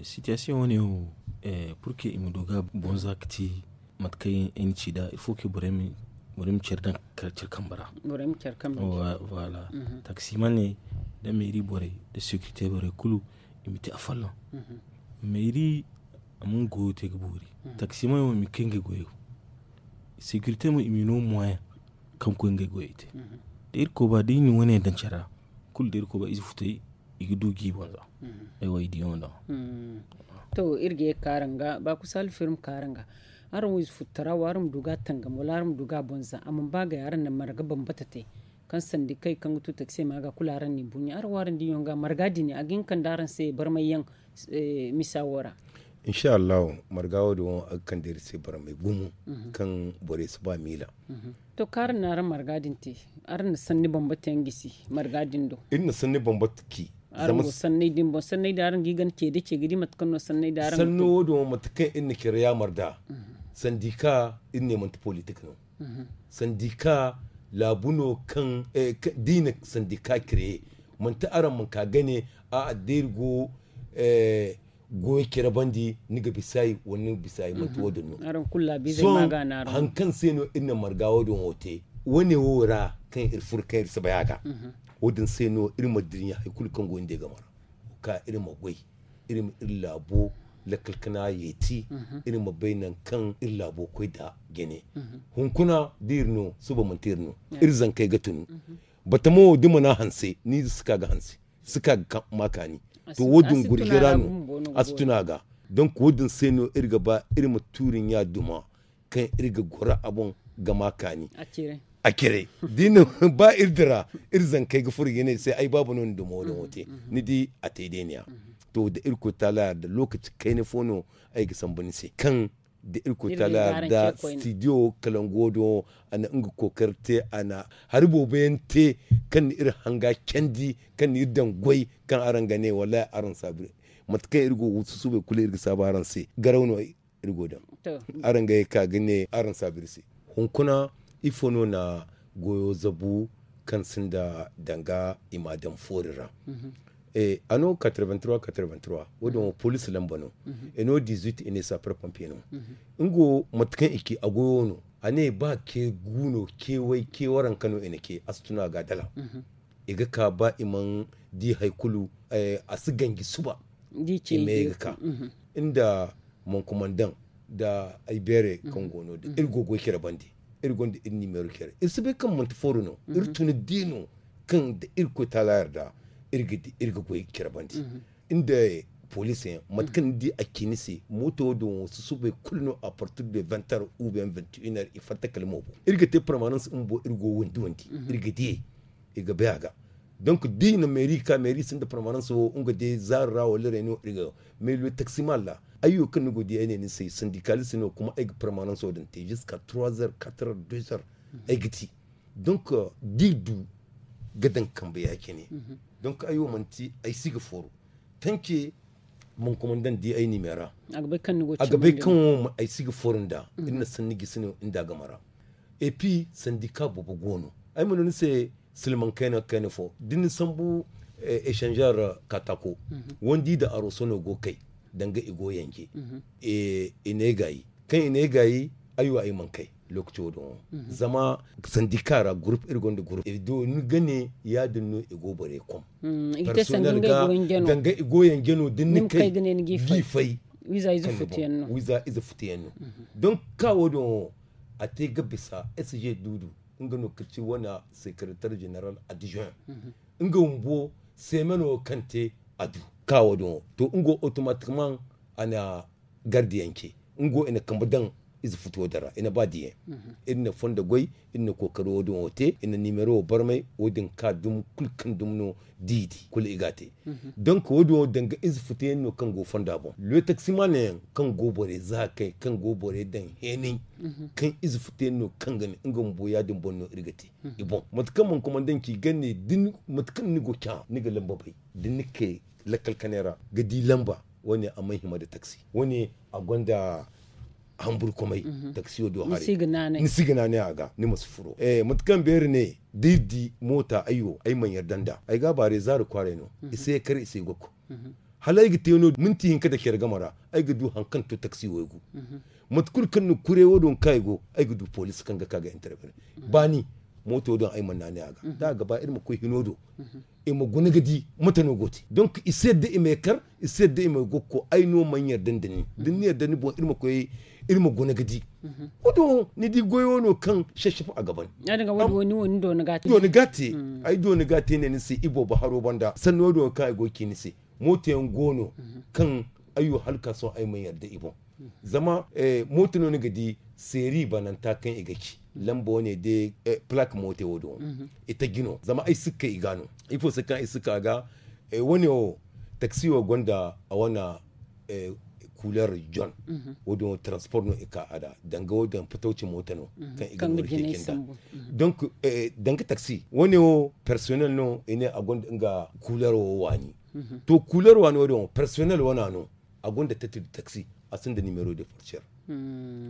Sitiyasiyoŋ wane wo, purke i ma du ga a bonza ga ti mate kaŋ ay na ci nd'a il faut que borey ma care daŋ care kambe ra. Voilà. Taksimaney nda meeri borey nda sekirite borey kulu, i ma te afolloŋ. Meeri a ma nga goyo te ga boori. Taksimaney wo i ma koy ngey goyo. Sekirite mo i ma i no moyen kaŋ ga koy ngey goyey te. Da irkoy ba da i na wane daŋ care ra, kulu da irkoy ba ize futay, i ga du ga i banza. Ay wo ay di yaŋ daŋ. To iri ga ye ga kaara nga ba kusa alfirma kaara nga. Araŋ wo ize futtara wo araŋ ma du ga a tangam wala araŋ ma du ga a banza a mana ba gay araŋ na marga bambata te. Kaŋ sandi kay kaŋ ga tu taksey ma ga kulu araŋ na i buɲa araŋ wo araŋ di yaŋ ga marga dini a ga hin kande araŋ se barmay yaŋ. Misa wo ra. Insa allahu, marga wo- din wo a ga kande iri se barmay gumo kaŋ borey si ba miila. To kaŋ araŋ na araŋ marga din te, araŋ na sanni bambata yaŋ gisi marga din do. Iri na sanni bambata ci. Araŋ go sanney din boŋ sanney din araŋ ga i gana ce da ce ga di mate kaŋ no sanney din araŋ ga sanno wo- din wo mate kaŋ iri na care yaamar nd'a. Sandi ka iri ne manti politik no. Sandi ka laabu no kaŋ da i na sandi ka care manti araŋ ma ka gane. A'a da iri go goyo care bandi ni ga bisa i wala ni ga bisa i manti wo- din no. Sohõ hari kaŋ se no iri na marga wo- din wo te wane wo ra kaŋ iri furo kaŋ iri si bay a ga. Wo- din se no iri ma dirɲa hari kulu kaŋ go ni day game ra. Ka iri ma goy iri ma iri laabo lakkal kana yeeti. Iri ma bay nangu kaŋ iri laabo koy nd'a jine. Hunkuna da iri no suba manti iri no. Iri zankey ga tunu. Batama wo da mana hanse ni ize si ka ga hanse, si ka ga ma kaani. To wo- din gurjira no. A si tun a ga. Donk wo- din se no iri ga ba iri ma tuuri ɲa duma kaŋ iri ga goro a boŋ ga ma kaani. A cire da i na ba iri dira iri zankey ga furo ga ne iri se ay baaba no ni duma wo- din wo te. Ni di a te day ne- ya. To da irkoy taala yarda lookaci kayna fo no ay ga sambu ni se kaŋ da irkoy taala yarda stidiyo kalango do a na nga kookari te a na hari boobo yaŋ te kaŋ na iri hanga candi kaŋ na iri daŋ goy kaŋ araŋ ga ne wallaahi araŋ saabu. Mate kaŋ iri go ga susuubay kulu iri ga saabu araŋ se garaw no iri go daŋ. Araŋ ga ye ka ga ne araŋ saabu iri se. Hunkuna ifo no na goyo zabu kaŋ sinda danga i ma a daŋ foori ra? A no quatre-vingt-trois quatre-vingt-trois wo- din wo police lamba no. E no dix-huit e ne sapeur pompier no. Nga wo mate kaŋ i ci a goyo no a ne ba ke gu no ke way ke waranka no i na ke a si tun a ga dala. I ga ka ba i mana di hari kulu. A si ganji suba i me ga ka nda mankumandaŋ nda ay beere kaŋ go no din iri go goy care bande. Iri gonda iri nimero care iri si bay kaŋ manti fooru no. Iri tun di no kaŋ da irkoy taala yarda iri ga goy care bande. nda police yaŋ mate kaŋ ni di a ci ni se mooto wo din wo susubay kulu no a partir de vingt heures ou bien vingt et une heures i fatta kala mo boŋ. Iri ga te permanence bumbo iri go wandi wandi iri ga diyey i ga bay a ga. Donc da i na meeri ka meeri sinda permanence wo nga de zaari ra wala reno iri ga mais le taxi mal ra ayyo kaŋ ni go di ay ne ni se sandikali se no kuma ay ga permanence wo din te jusqu'à trois heures quatre heures deux heures ay ga ti. Donc da i du ga daŋ kambe ya cine. Donc ay wo manti ay si ga foro tanke. Mon komandan di ay nime ra a ga bay kaŋ wo ay si ga foro nda iri na sanni gisi no nda a game ra. Et puis sandika boobo go no ay ma no ni se silmaŋ kayna kayna fo da ni sambu échanger katako wandi da aroso no go kay danga i go yanje. I ne gaayi kaŋ i ne gaayi ay wo ay mana kay lokaci wo din wo zama sandika ra groupe iri gonda groupe i do ni ga ne ya- din no i go borey kom personel ga danga i go yanje no da ni kay ga i fay wiiza ize futuyaŋ no. Donc ka wo- din wo a te ga bisa sg duudu nga no ga ci wane secrétaire général adjoint nga bumbo semen wo kaŋ te a du ka wo- din wo to nga wo automatiquement a na gardiyaŋ ce nga wo i na kambe daŋ ize futuwo din ra i na ba diyaŋ. Iri na fondo goy iri na kookari wo- din wo te i na nimero wo barmay wo- din ka dum kulu kaŋ dum no da i di kulu i ga a te. Donc wo- din wo danga ize futuyaŋ no kaŋ go fonda boŋ le taksimaana yaŋ kaŋ go borey za kay kaŋ go borey daŋ heenay kaŋ ize futuyaŋ no kaŋ ga ne nga bumbo ya- din boŋ no iri ga te. I boŋ mate kaŋ mana komandanci gande mate kaŋ ni go ca ni ga lamba bay da ni kay lakkal kanay ra ga di lamba wo- ne a mana hima nda taksi wo- ne a gonda hamburu komay. Taksiyo do haray ni si ga naanay a ga ni ma si furo. Mate kaŋ beeri ne da iri di moota ay wo ay mana yarda nda ay ga a baarey zaari kwaaray no i si ye kar i si ye gokko. Hala ay ga te no minti hinka nda care game ra ay ga du hari kaŋ to taksi waygu. Mate kulu kaŋ ni kuray wo- din kaŋ ay go ay ga du poliisi kaŋ ga ka ga intervene baani mooto din ay mana naanay a ga da a ga ba iri ma koy hino do i ma guna ga di mate no go te donk i si yadda i ma ye kar i si yadda i ma ye gokko ay no mana yarda nda ni da ni na yarda ni boŋ iri ma koy iri ma guna ga di. Wo- din ni di goyo no kaŋ sassafa a ga ban. Ay dooni ga a te ne ni se i boobo haro banda sanni wo- din wo kaŋ ay go ga ci ni se mooto yaŋ go no kaŋ ay wo hala ga ka sohõ ay mana yarda i boŋ. Zama mooto no ni ga di seeri bananta kaŋ i ga ci lamba wane day plak mooto wo- din wo i taji no zama ay si ga kay i ga no ifo se kaŋ ay si ga ka ga wane wo taksi wo gonda a wane kuler jon. Wo- din wo transport no i ka a da danga wo- din patawci mooto no kaŋ i ga no ga ceeci nda. Donk danga taksi wane wo personnel no i ne a gonda nga kuler wo waani. To kuler waani wo- din wo personnel wana no a gonda tête de taxi a sinda numéro de portière.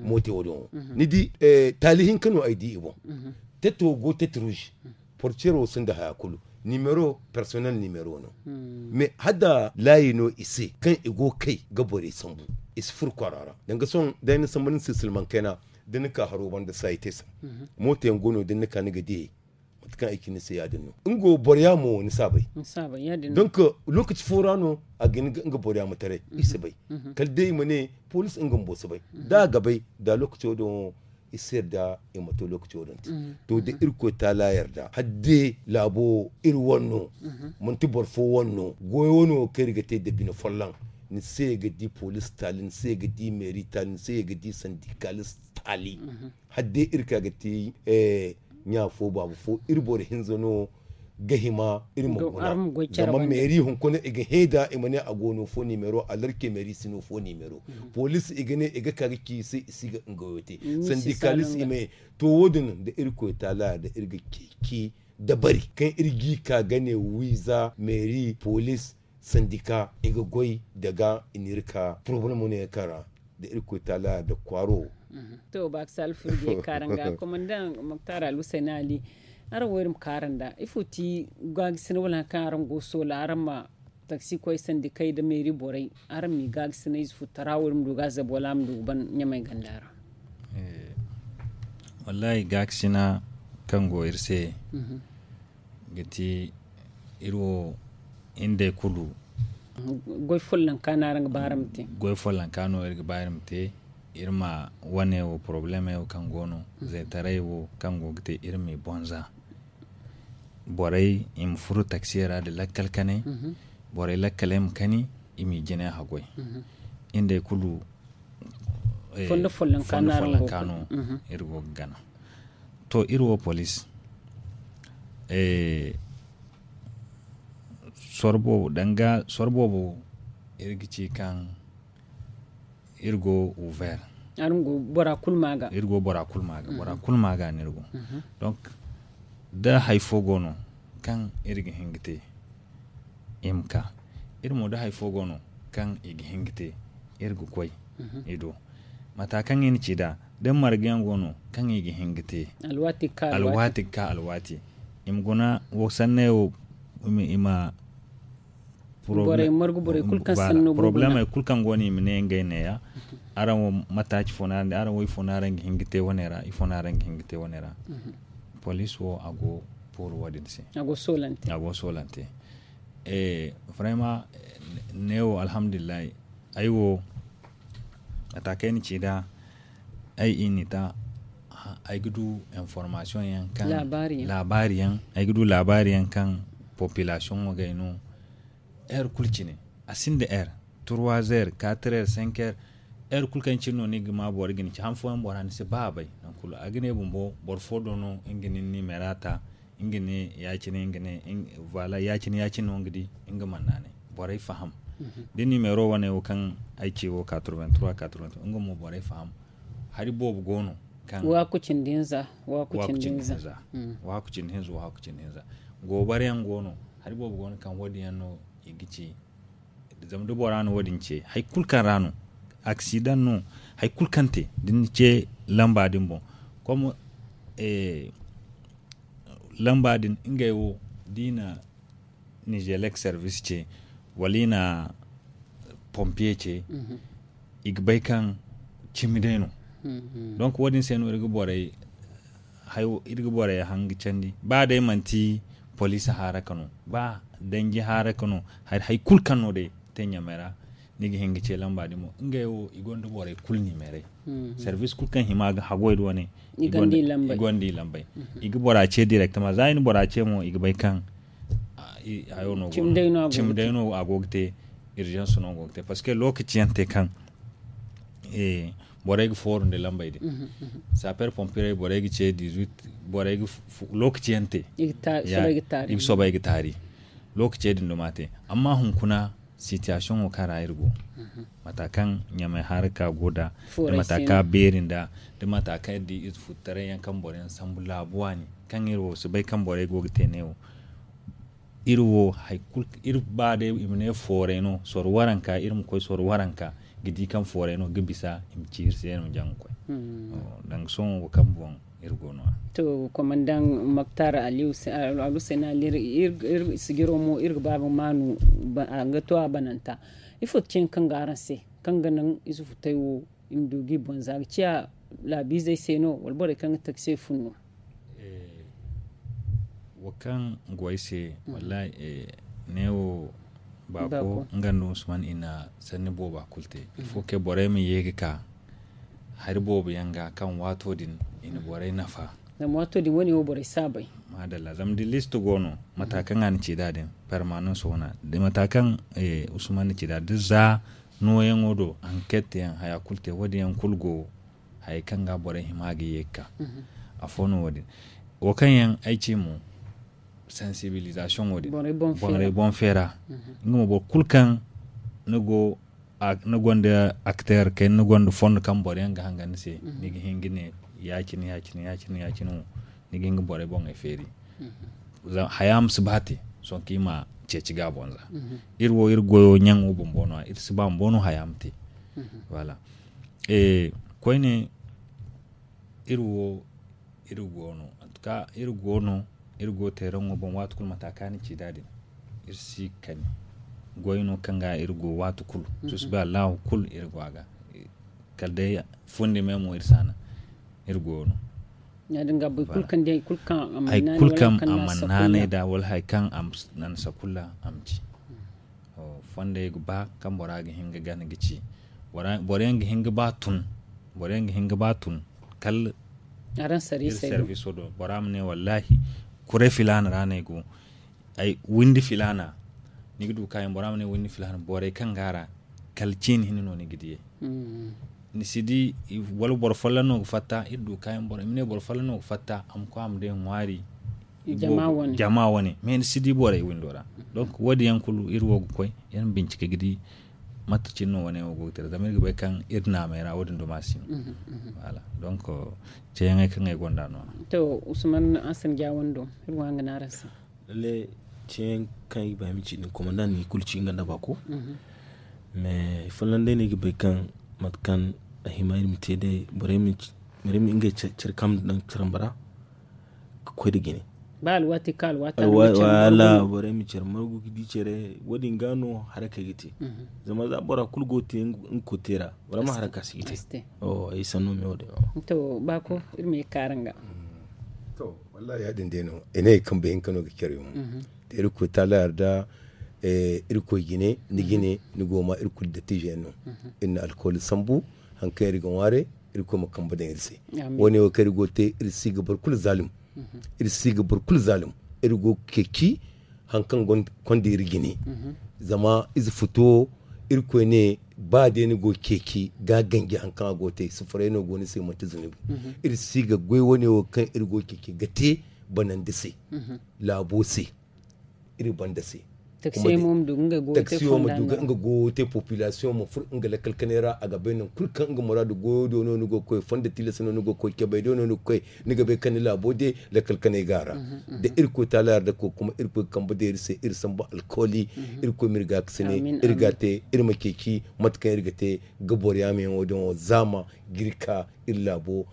Mooto wo- din wo ni di taali hinka no ay di i boŋ. Tête wo go tête rouge portière wo sinda haya kulu. Numéro personnel numéro no mais hala da laayi no i se kaŋ i go ga kay ga borey sambu i si furo kwaara ra danga sohõ day ni sambu ni se silmaŋ kayna da ni ka haro banda saayi te se. Mooto yaŋ go no da ni ka ni ga diyey mate kaŋ ay ci ni se ya- din no nga wo boro yaamo ni si a bay. Donk lookaci fo ra no a ga hin ga nga boro yaamo taray i si bay. Kala day i ma ne poliisi nga bumbo si bay da a ga bay da lookaci wo- din wo i si yarda i ma to lookaci wo- din te. To da irkoy taala yarda hala day laabo wo iri wane no manti boro fo wane no goyo wane wo kaŋ iri ga te nda bine folloŋ ni se ga di poliisi taali ni se ga di meeri taali ni se ga di sandikalis taali. Hala day iri ka ga te ɲa fo baaba fo iri boro hinza no ga hima iri ma guna. Zama meeri hunkuna i ga hẽ da i ma ne a go no fo nimero alarke meeri si no fo nimero. Poliisi i ga ne i ga ka ga ci i se i si ga nga wo te sandikalis i ma ye. To wo- din da irkoy taala da iri ga ceeci dabari kaŋ iri g'i ka ga ne wiiza meeri poliisi sandika i ga goy daga i n'iri ka porobalemo no yaŋ kaŋ ra da irkoy taala da kwaaro wo. To baakasi alfurjey kaaranga komandaŋ moktar alhusayn ali. Araŋ wo iri ma kaaranda ifo ti gaagisi no wala hari kaŋ araŋ go soola araŋ ma taksi koy sandikey nda meeri borey araŋ m'i gaagisi no ize fo tara wo iri ma du ga a zabu wala a ma du ga ban ɲamay ganda ra? Wallahi gaakasina kaŋ go iri se ga ti iri wo hinday kulu goy follanka no araŋ ga ba iri ma te. Goy follanka no iri ga ba iri ma te iri ma wane wo porobalemey wo kaŋ go no zaytaray wo kaŋ go ga te iri m'i bonza. Borey i ma furo taksiye ra nda lakkal kanay borey lakkaley ma kani, i m'i jine haggoy. Nga day kulu fondo follonka no iri go ga gana. To iri wo police, soro boobo danga soro boobo iri ga ci kaŋ iri go ouvert. Iri go bora kulu ma ga bora kulu ma ga no iri go. Donc da hari fo go no kaŋ iri ga hin ga te, i ma ka iri mo da hari fo go no kaŋ i ga hin ga te, iri ga koy i do. Mata kaŋ i na ci nd'a da marga yaŋ go no kaŋ i ga hin ga te alwaati ga ka alwaati, i ma guna wo sanney wo i ma borey margu borey kulu kaŋ sanno go. Problème kulu kaŋ go no i ma ne ngey neeya. Araŋ wo mataaci fo no araŋ di araŋ wo ifo no araŋ ga hin ga te wane ra ifo no araŋ ga hin ga te wane ra? Police wo a go pooro wo- din se. A go soolante. Vraiment, neewo alhamdulillahi. Ay wo mata kaŋ ay na ci nd'a ay i na i ta ay ga du information yaŋ kaŋ laabaari yaŋ ay ga du laabaari yaŋ kaŋ population wo gay no. Heure kulu cine a sinda heure trois heures quatre heures cinq heures. Heure kulu kaŋ cine no ni ga ma boro ga ni ci han fooyaŋ bora ni si ba a bay. Nangu kulu a ga ne bumbo boro fo do no nga na ni numéro ta nga ne ya- cine nga ne voilà ya- cine ya- cine no nga di nga mana naanay. Borey faham da numéro wane wo kaŋ ay ce wo quatre vingt trois quatre vingt trois nga mo borey faham. Hari boobo go no kaŋ waaku cindi hinza waaku cindi hinza. Waaku cindi hinza waaku cindi hinza. Goobara yaŋ go no. Hari boobo go no kaŋ wo- din yaŋ no i ga ci. Zama da bora na wo- din ce hari kulu kaŋ ra no aksidaŋ no hari kulu kaŋ te da ni ce lamba din boŋ. Comme lamba din ngey wo da i na nizelek service ce wala i na pompier ce i ga bay kaŋ cimi day no. Donc wo- din se no iri ga borey hayo iri ga borey hanga candi ba day manti police haaraka no ba danji haaraka no hari kulu kaŋ no day te ɲamey ra. Ni ga hin ga ce lamba din mo ngey wo i gonda borey kulu nimerey. Service kulu kaŋ hima ga hagoy da wane i gonda i lambey. I ga bora ce directement za i na bora ce mo i ga bay kaŋ hayo no cimi day no a go ga te. Urgence no go ga te parce que lokaci yaŋ te kaŋ borey ga fooru nda lambey din. Sapeur pompier borey ga ce dix-huit borey ga lokaci yaŋ te i ga soobay ga taari. Lokaci din duma te amma hunkuna situation wo kaŋ ra iri go mata kaŋ ɲamay haraka go da da mata kaŋ a beeri nda da mata kaŋ iri di ize futtaray yaŋ kaŋ boro yaŋ sambu laabu waani kaŋ iri wo si bay kaŋ borey go ga te ne wo. Iri wo iri ba day i ma ne fooray no soro waranka iri ma koy soro waranka ga di kaŋ fooray no ga bisa i ma ci iri se no jaŋ ga koy. Danga sohõ wo kaŋ boŋ iri go no a. To komandaŋ maktar ali hussein ali iri sijiro mo iri ga ba ga maanu. Ga to a bananta ifo ti cin kaŋ ga araŋ se kaŋ ga naŋ ize futay wo i ma du ga i boŋ za ga ciya laabiizey se no wala borey kaŋ ga taksi se fun no? Wo kaŋ go ay se wallahi neewo baako nga nda usman i na sanni booba kulu te. Ifo kay borey ma ye ga ka hari boobo yaŋ ga kaŋ waato din i na borey nafa. Zama waato din wane wo borey si a bay. Maadalla zama da list go no mata kaŋ a na ci da din permanence wana da mata kaŋ usman na ci da da za nooyaŋo do enquête yaŋ haya kulu te wo- din yaŋ kulu go. Hayey kaŋ ga borey hima ga ye ga ka afo no wo- din wo kaŋ yaŋ ay ci mo sensibilisation wo- din borey boŋ feera. Nga mo boro kulu kaŋ ni go ni gonda acteur kay ni gonda fondo kaŋ boro yaŋ ga hangan ni se ni ga hin ga ne ya- cine ya- cine ya- cine ya- cine wo ni ga hin ga borey boŋey feeri. Haya ma si ba te sohõ kaŋ i ma ceeci ga a boŋ za iri wo iri goyo ɲaŋo bumbo no- ya iri si ba bumbo no haya ma te. Voilà. Koyne iri wo iri go no en tout cas iri go no iri go teeraŋo boŋ waati kulu mata kaŋ a na ci da din iri si kani goy no kaŋ ga iri go waati kulu. Susubay allahu kulu iri go a ga kala day fundi me mo iri si a naŋ. Iri go no ya- din ga boro kulu kaŋ di hari kulu kaŋ a mana naanay da wala hari kaŋ a na sakulla a ma ci. Fondey ga ba kaŋ bora ga hin ga gana ga ci boro yaŋ ga hin ga ba tun boro yaŋ ga hin ga ba tun kala iri serviso do bora ma ne wallahi kuray filaana ra no ay go ay windi filaana Ni ga du kaayaŋ bora ma ne wani ni filhan borey kaŋ ga a ra kala ciini hinne no ni ga diyey. Ni si di wala boro folloŋ no ga fatta iri du kaayaŋ boro i ma ne boro folloŋ no ga fatta a ma koy a ma day ŋwaari jama wane mais ni si di borey windo ra. Donc wo- din yaŋ kulu iri wo ga koy iri ma bincike ga di mate cine no wane wo go ga te ra zama iri ga bay kaŋ iri naamey ra wo- din duma si no. Donc ceeyaŋey kaŋ ay gonda no- ya. To usman asan jawando iri go hanga no araŋ se. Lalle ceeyaŋ kaŋ i ga ba i ma ci din komanda ni kulu ci nga nda baako. Mais folloŋ day no ay ga bay kaŋ mate kaŋ a hima iri ma te day borey ma ngey care kaŋ daŋ caramba ra ga koy nda jine. Ba alwaati kaŋ alwaati wala borey ma care margu ga di care wo- din ga no harakey ga te. Zama za bora kulu go ga te nga kote ra bora ma haraka si ga te. Ay sanno me wo- din. To baako iri ma ye kaara nga. To wallahi ya- din day no i ne kambe hinka no ga care yaŋ. Da irkoy taala yarda irkoy jine ni jine ni go ma iri kulu dattijo yaŋ no. Iri na alkawali sambu hari kaŋ iri ga ŋwaaray irkoy ma kambe daŋ iri se. Wo- ne wo kaŋ iri go ga te iri si ga boro kulu zaalum. Iri si ga boro kulu zaalum. Iri go ga ceeci hari kaŋ konda iri jine. Zama ize futu wo irkoy ne ba day ni go ga ceeci ga ganji hari kaŋ a go ga te sufuray no go ni se manti zunubi. Iri si ga goy wo- ne wo kaŋ iri go ga ceeci ga te banandi se laabo se. Iri banda se taksi wo ma du ga nga goyo te population ma furo nga lakkal kanay ra a ga bay nangu kulu kaŋ nga muraadu goyo do no ni go ga koy fondo tilas no ni go ga koy cabay do no ni ga koy ni ga bay kaŋ ni laabo de lakkal kanay ga a ra. Da irkoy taala yarda koy kuma irkoy ga kambe day iri se iri sambu alkawali. Irkoy ma iri ga ga sine iri ga te iri ma ceeci mate kaŋ iri ga te ga boro yaame yaŋo din wo zaama ga iri ka iri laabo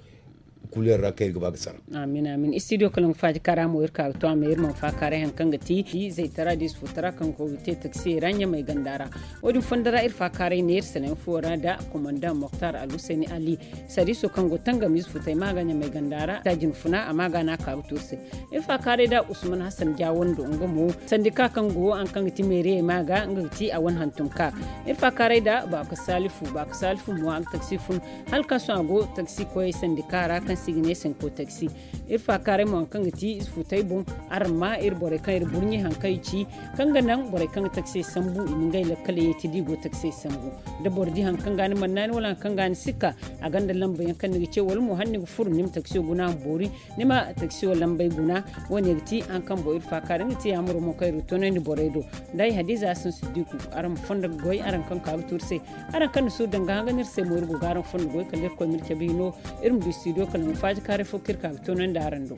kuleer ra kaŋ iri ga ba ga sara. Amin amin istidiyo kala nga faaji kaara mo iri ka ga to a ma iri mana faakaaray hari kaŋ ga ti zaytara da ize futara kaŋ go ga te taksiyey ra ɲamay ganda ra. Wo- din fondo ra iri faakaaray ne iri sanayaŋ fuwo ra nda komandaŋ moktar alhuseeni ali sariiso kaŋ go tangam ize futay ma ga ɲamay ganda ra da jinfuna a ma ga no a ka ga to iri se. Iri faakaaray nda usman hasan jawando nga mo sandika kaŋ go hari kaŋ ga ti meeriyey ma ga nga ga ti a wane hantum ka. Iri faakaaray nda baako salifu baako salifu mo a ga taksi fun hala kaŋ sohõ a go taksi koyey sandika ra kaŋ se i ga ne sanko taksi. Iri faakaaray mo hari kaŋ ga ti ize futay boŋ araŋ ma iri borey kaŋ iri burɲi hari kaŋ i ci kaŋ ga naŋ borey kaŋ ga taksey sambu i ma ngey lakkaley ye te da i go taksey sambu. Da boro di hari kaŋ ga ni mannaani wala hari kaŋ ga ni sikka a gonda lambayaŋ kaŋ ni ga ce wala mo hala ni ga furo ni ma taksiyo guna ma boori ni ma taksiyo lambay guna. Wo- ne ga ti hari kaŋ boŋ iri faakaaray nga ti yaamaro mo kaŋ iri ga toonandi borey do. Nda ay hadiza hasan siddiku araŋ ma fondo ga goy araŋ kaŋ ka ga tuuri se. Araŋ kaŋ ni suuru danga hanga no iri se mo iri go ga araŋ fondo goy kala irkoy ma iri cabe hino. Iri ma du studio kala nga faaji kaaray fo kaŋ iri ka ga toonandi araŋ do.